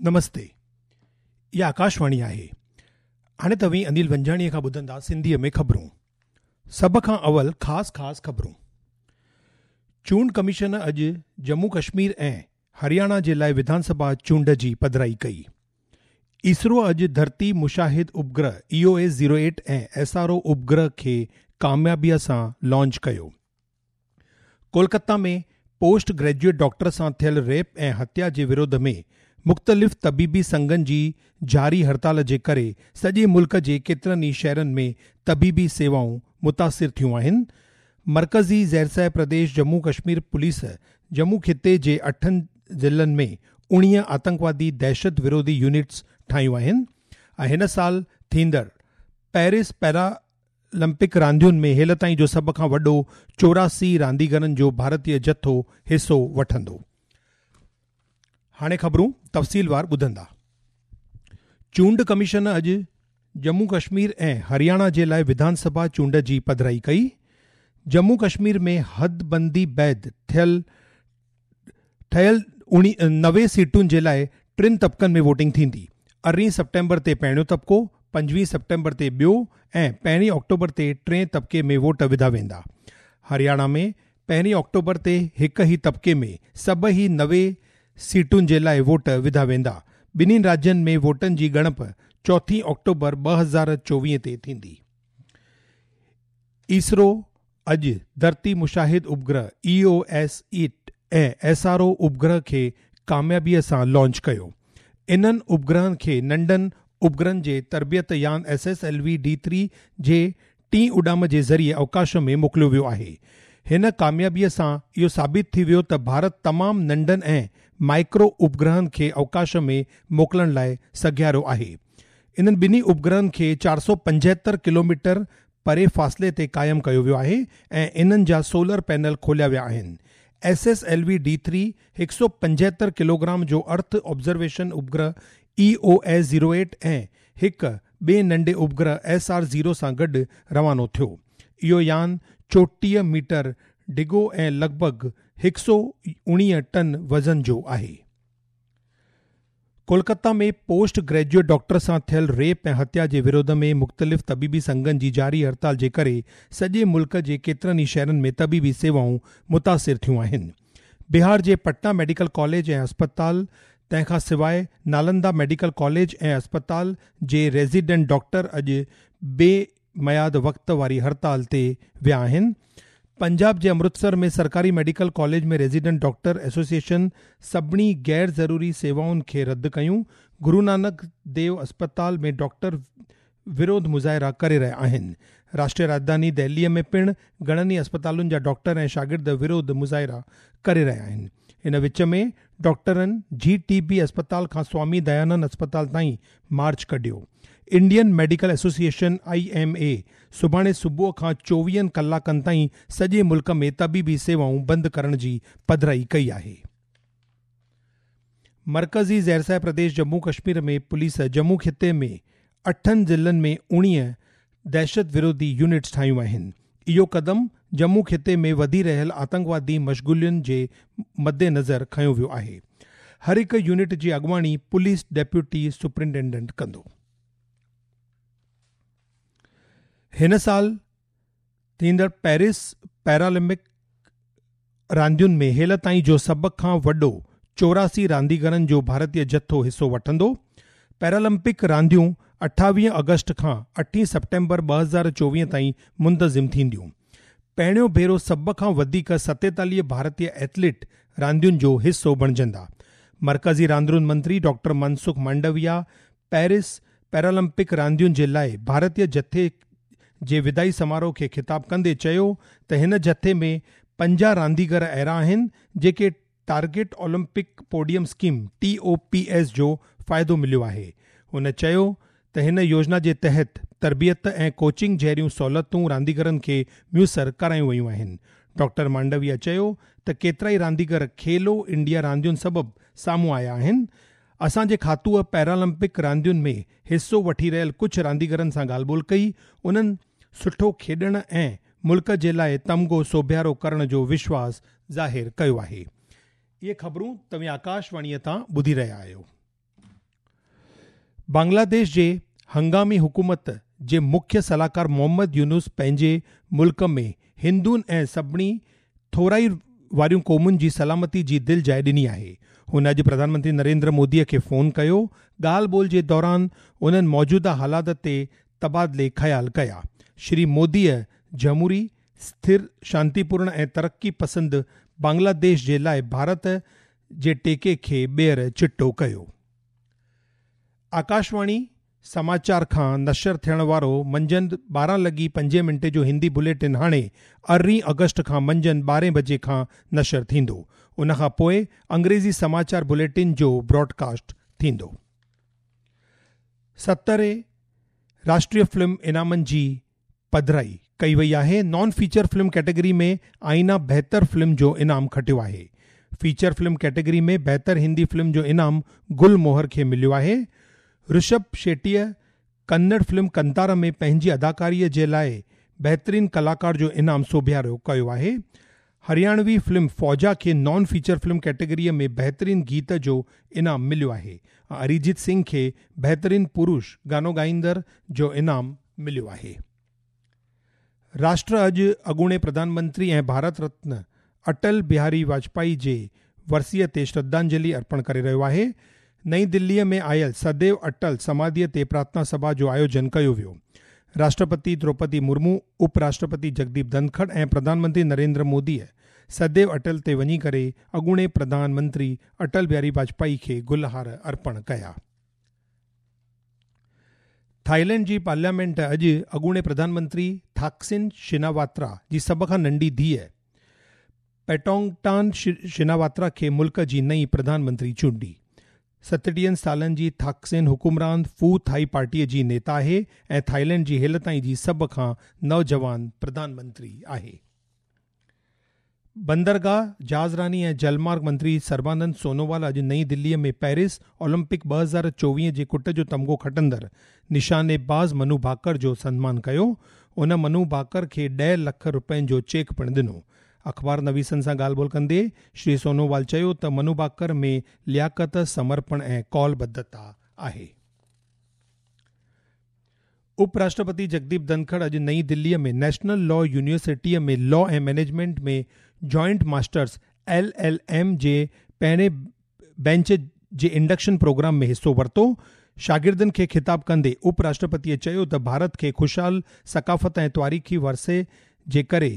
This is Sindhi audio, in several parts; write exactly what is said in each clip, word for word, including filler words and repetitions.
نمستي، اها آڪاشواڻي آهي. هاڻي توهين انيل ونجاڻيء کان ٻڌندا سنڌيء ۾ خبرون. سڀ کان اول خاص خاص خبرون. چونڊ ڪميشن اڄ ڄمون ڪشمير ۽ هرياڻا جي لاءِ وڌان سڀا چونڊ جي پڌرائي ڪئي. اسرو اڄ ڌرتي مشاهد اپگرهه E O S zero eight ۽ S R O اپگرهه کي ڪاميابيءَ سان لانچ ڪيو. ڪولڪتا ۾ پوسٽ گريجوئيٽ ڊاڪٽر سان ٿيل ريپ ۽ هتيا جي وروڌ ۾ مختلف طبيبي سنگهن جي جاري هڙتال جي ڪري سڄي ملڪ جي ڪيترن ئي شهرن ۾ طبيبي سيوائون متاثر ٿيون آهن. مرڪزي زيرسايه پرديش ڄمون ڪشمير پوليس ڄمون خطي جي اٺن ضلعن ۾ اڻويهه آتنڪوادي دهشت وروڌي يونٽس ٺاهيون آهن ۽ هن سال ٿيندڙ پيرس پيرالمپڪ راندين ۾ هيل تائين جو سڀ کان وڏو چوراسي رانديگرن جو ڀارتيه جٿو حصو وٺندو. هاڻي خبرون تفصيلوار ٻڌندا. چونڊ ڪميشن اڄ ڄمون ڪشمير ۽ هرياڻا جي لاءِ وڌان سڀا چونڊ جي پڌرائي ڪئي. ڄمون ڪشمير ۾ حدبندي بعد ٿيل ٺهيل نوي سيٽن جي لاءِ ٽن طبقن ۾ ووٽنگ ٿيندي. ارڙهين سيپٽمبر تي پهريون طبقو، پنجويهه سيپٽمبر تي ٻيو ۽ پهرين آڪٽوبر تي ٽئين طبقي ۾ ووٽ وڌا ويندا. هرياڻا ۾ پهرين آڪٽوبر تي هڪ ئي طبقي ۾ سڀئي نوي سيٽن جي لاءِ ووٽ وڌا ويندا. ٻنهي راجين ۾ ووٽن جي ڳڻپ چوٿين آڪٽوبر ٻه هزار چوويهه تي ٿيندي. اسرو اڄ ڌرتي مشاهد اپگرهه E O S eight ۽ S R O اپگرهه کي ڪاميابيءَ سان لانچ ڪيو. انهن اپگرهن کي ننڍن اپگرهن جي تربيت يان S S L V D three جي ٽين اڏام جي ذريعي اوڪاش ۾ موڪليو ويو آهي. هن ڪاميابيءَ سان اهو ثابت ٿي ويو ته ڀارت تمام ننڍن ۽ مائڪرو اپگرهن کي اوڪاش ۾ موڪلڻ لاءِ سگهيارو آهي. انهن ٻنهي اپگرهن کي چار سؤ پنجهتر ڪلو ميٽر پري فاصلي تي قائم ڪيو ويو آهي ۽ انهن جا سولر پينل کوليا ويا آهن. S S L V D three هڪ سؤ پنجهتر ڪلو گرام جو ارٿ observation اپگرهه E O S zero eight ۽ هڪ ٻئي ننڍي اپگرهه ايس آر زيرو سان گڏ روانو ٿيو. اهو يان چوٽيهه ميٽر ڊگهو ۽ لڳ ڀڳ هڪ سؤ اڻويهه ٽن وزن جو آهي. ڪولڪتا ۾ پوسٽ گريجوئيٽ ڊاڪٽر سان ٿيل ريپ ۽ هتيا جي وروڌ ۾ مختلف طبيبي سنگهن جي جاري هڙتال جي ڪري سڄي ملڪ جي ڪيترن ئي شهرن ۾ طبيبي سيوائون متاثر ٿيون آهن. بهار جي پٽنا ميڊيڪل ڪاليج ۽ اسپتال، تنهن کان سواءِ نالندا ميڊيڪل ڪاليج ۽ اسپتال جي ريزيڊنٽ ڊاڪٽر اڄ بي ميعاد وقت واري هڙتال تي ويا آهن. پنجاب جي امرتسر ۾ سرڪاري medical college ۾ resident doctor association سڀني غير ضروري سيوائن کي رد ڪيون. گرو نانڪ ديو اسپتال ۾ ڊاڪٽر وروڌ مظاهرا ڪري رهيا آهن. راشٽريه راڄڌاني دهليءَ ۾ پڻ گهڻن ئي اسپتالن جا ڊاڪٽر ۽ شاگرد وروڌ مظاهرا ڪري رهيا آهن. ان وچ ۾ ڊاڪٽرن جي ٽي بي اسپتال کان سوامي ديانند اسپتال تائين مارچ ڪڍيو. Indian medical association I M اي سڀاڻي صبح کان چوويهن ڪلاڪن تائين سڄي ملڪ ۾ طبيبي سيوائون بند ڪرڻ جي پڌرائي ڪئي آهي. مرڪزي زيرسايه پرديش ڄمون ڪشمير ۾ پوليس ڄمون خطي ۾ اٺن ضلعن ۾ اڻويهه دهشت وروڌي يونٽس ٺاهيون آهن. اهو قدم ڄمون خطي ۾ وڌي رهيل آتنڪوادي مشغولين جي مدنظر کنيو ويو آهي. هر هڪ يونٽ جي اڳواڻي پوليس ڊپٽي سپرنٽينڊنٽ ڪندو. هن سال ٿيندڙ پيرس پيرالمپڪ راندين ۾ هيل تائين جو سڀ کان وڏو چوراسي رانديگرن جو ڀارتيه جٿو حصو وٺندو. پيرالمپڪ رانديون اٺاويهه آگسٽ کان اٺين سيپٽمبر ٻه هزار چوويهه تائين منتظم ٿينديون. پهريون ڀيرو سڀ کان وڌيڪ ستيتاليهه ڀارتيه ايٿليٽ راندين جو حصو بڻجندا. مرڪزي راندين منتري ڊاڪٽر منسک مانڊويا پيرس پيرالمپڪ راندين جي لاءِ ڀارتيه جٿي جي ودائي سماروهه کي خطاب ڪندي چيو ته هن جٿي ۾ پنجاهه رانديگر اهڙا آهن جيڪي target Olympic podium scheme T O P S جو فائدو مليو آهي. هن چيو ته هن يوجنا جي تحت تربيت ۽ ڪوچنگ جهڙيون سهولتون رانديگرن کي ميسر ڪرايون ويون آهن. ڊاڪٽر مانڊويا چيو ته ڪيترائي رانديگر کيلو انڊيا راندين سبب سامهون آيا آهن. اسان جي کاتوءَ پيرالمپڪ راندين ۾ حصو وٺي رهيل ڪجهه رانديگرن سان ڳالهه ٻولهه ڪئي. انهن سٺو کيڏڻ ۽ ملڪ جي لاءِ تمغو سوڀيارو ڪرڻ جو وشواس ظاهر ڪيو آهي. اهي خبرون توهين آڪاشواڻيءَ تان ٻڌي رهيا آهيو. بنگلاديش جي هنگامي حڪومت جي مکيه صلاحڪار محمد يونس پنهنجي ملڪ ۾ هندن ۽ سڀني ٿورائي واريون قومن جي سلامتي جي دل جاءِ ڏني آهي. هن اڄ پرڌان منتري نريندر موديءَ کي فون ڪيو. ڳالهه ٻولهه جي دوران انهن موجوده حالات تي تبادلي خيال ڪيا. شري موديءَ جمهوري، اسٿر، شانتيپورڻ ۽ ترقي پسند بنگلاديش جي لاءِ ڀارت جي ٽيڪي کي ٻيهر چٽو ڪيو. آڪاشواڻي سماچار کان نشر ٿيڻ وارو منجهند ٻارهن لڳي پنجي منٽي جو هندي بليٽن هاڻي ارڙهين آگسٽ کان منجهند ٻارهين بجي کان نشر ٿيندو. ان کان پوءِ انگريزي سماچار بليٽن جو براڊڪاسٽ ٿيندو. سترهين راشٽريه فلم انعامن جي پڌرائي ڪئي وئي آهي. نان فيچر فلم ڪيٽيگري ۾ آئينا بهتر فلم جو انعام کٽيو آهي. فيچر فلم ڪيٽيگري ۾ بهتر هندي فلم جو انعام گل موهر کي مليو آهي. رشڀ شيٽيءَ ڪنڙ فلم ڪنتارا ۾ پنهنجي اداڪاريءَ جي لاءِ بهترين ڪلاڪار جو انعام سوڀيارو ڪيو آهي. هرياڻوي فلم فوجا کي نان فيچر فلم ڪيٽيگريءَ ۾ بهترين گيت جو انعام مليو آهي. اريجيت سنگهه کي بهترين پرش گانو ڳائيندڙ جو انعام مليو آهي. راشٽر اڄ اڳوڻي پرڌان منتري ۽ ڀارت رتن اٽل بهاري واجپائي جي ورسيءَ تي شرڌانجلي ارپڻ ڪري رهيو آهي. نئين دليءَ ۾ آيل سديو اٽل سماڌيءَ تي پرارٿنا سڀا جو آيوجن ڪيو ويو. راشٽرپتي دروپدي مرمو، اپ راشٽرپتي جگديپ ڌنکڙ ۽ پرڌان منتري نريندر موديءَ سديو اٽل تي وڃي ڪري اڳوڻي پرڌان منتري اٽل بهاري واجپائي کي گلهار ارپڻ ڪيا. ٿائيلينڊ جي پارليامينٽ اڄ اڳوڻي پرڌان منتري ٿاڪسن شناواترا جي سڀ کان ننڍي ڌيءَ پيٽونگٽان شناواترا کي ملڪ جي نئين پرڌان منتري چونڊي. ستٽيهن سالن جي ٿاڪسن حڪمران فو ٿائي پارٽيءَ جي نيتا آهي ۽ ٿائيلينڊ جي هيل تائين جي سڀ کان نوجوان پرڌان منتري آهي. بندرگاهه، جهازراني ۽ جلمارگ منتري سربانند سونووال اڄ نئين دليءَ ۾ پيرس اولمپڪ ٻه هزار چوويهه جي ڪٽ جو تمغو کٽندڙ نشانيباز منو ڀاڪر جو سنمان ڪيو. ان منو ڀاڪر کي ڏهه لک رپين جو چيڪ پڻ ڏنو. اخبار نويسن سان ڳالهه ٻولهه ڪندي شري سونووال چيو ته منو ڀاڪر ۾ لياقت، سمرپڻ ۽ قولبڌتا آهي. اپ راشٽرپتي جگديپ ڌنکڙ اڄ نئين دليءَ ۾ نيشنل لا يونيورسٽيءَ ۾ لا ۽ management ۾ joint masters L L M جي پهرين بينچ جي انڊڪشن پروگرام ۾ حصو ورتو. شاگردن کي خطاب ڪندي اپ راشٽرپتيءَ چيو ته ڀارت کي خوشحال ثقافت ۽ تاريخي ورثي جي ڪري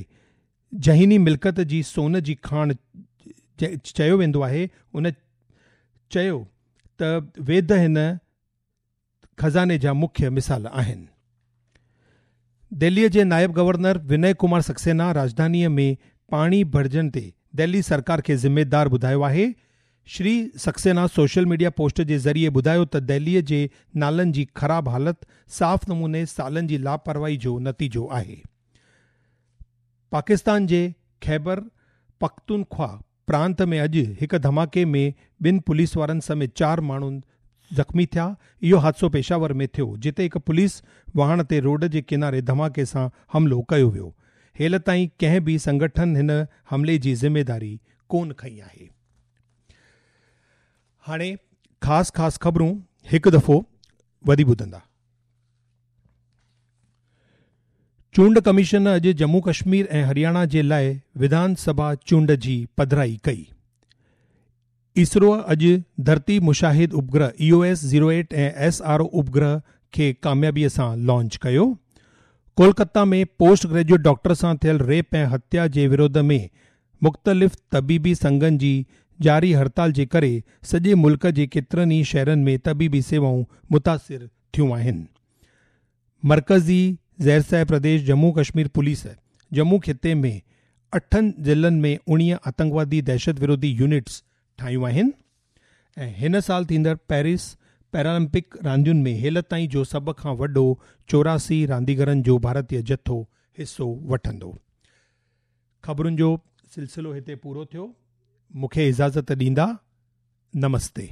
ذهني ملڪيت جي سون جي کاڻ چيو ويندو آهي. ان چيو ته ويد هن خزاني جا مکيه مثال آهن. دهليءَ جي نائب گورنر وني ڪمار سڪسينا راڄڌانيءَ ۾ پاڻي ڀرجڻ تي دهلي سرڪار کي ذميدار ٻڌايو آهي. Shri Saxena social media post جي ذريعي ٻڌايو ته دهليءَ جي نالن جي خراب حالت صاف نموني سالن جي لاپرواهي جو نتيجو آهي. پاڪستان جي خيبر پختونخوا پرانت ۾ اڄ هڪ ڌماڪي ۾ ٻن پوليس وارن سميت چار ماڻهو زخمي ٿيا. اهو حادثو پشاور ۾ ٿيو، جتي هڪ پوليس واهڻ تي روڊ جي ڪناري ڌماڪي سان حملو ڪيو ويو. هيل تائين ڪنهن به سنگٺن هن حملي جي ذميداري ڪونه کنئي آهي. هاڻي خاص خاص خبرون هڪ دفعو وري ٻڌندا. چونڊ ڪميشن اڄ ڄمون ڪشمير ۽ هرياڻا جي لاءِ وڌان سڀا چونڊ جي پڌرائي ڪئي. اسرو اڄ ڌرتي مشاهد اپگرهه E O S zero eight ۽ S R O اپگرهه کي ڪاميابيءَ سان لانچ ڪيو. ڪولڪتا ۾ پوسٽ گريجوئيٽ ڊاڪٽر سان ٿيل ريپ ۽ هتيا جي وروڌ ۾ مختلف طبيبي سنگهن جي جاري هڙتال جي ڪري سڄي ملڪ جي ڪيترن ئي شهرن ۾ طبيبي سيوائون متاثر ٿيون آهن. مرڪزي زيرسايه پرديش ڄمون ڪشمير پوليس ڄمون خطي ۾ اٺن ضلعن ۾ اڻويهه آتنڪوادي دهشت وروڌي يونٽس ٺاهيون آهن. ۽ هن سال ٿيندڙ پيرس پيرالمپڪ راندين ۾ هيل تائين جو سڀ کان وڏو چوراسي رانديگرن جو ڀارتيه جٿو حصو وٺندو. خبرن جو سلسلو هتي پورو ٿيو. مون کي اجازت ڏيندا. نمستي.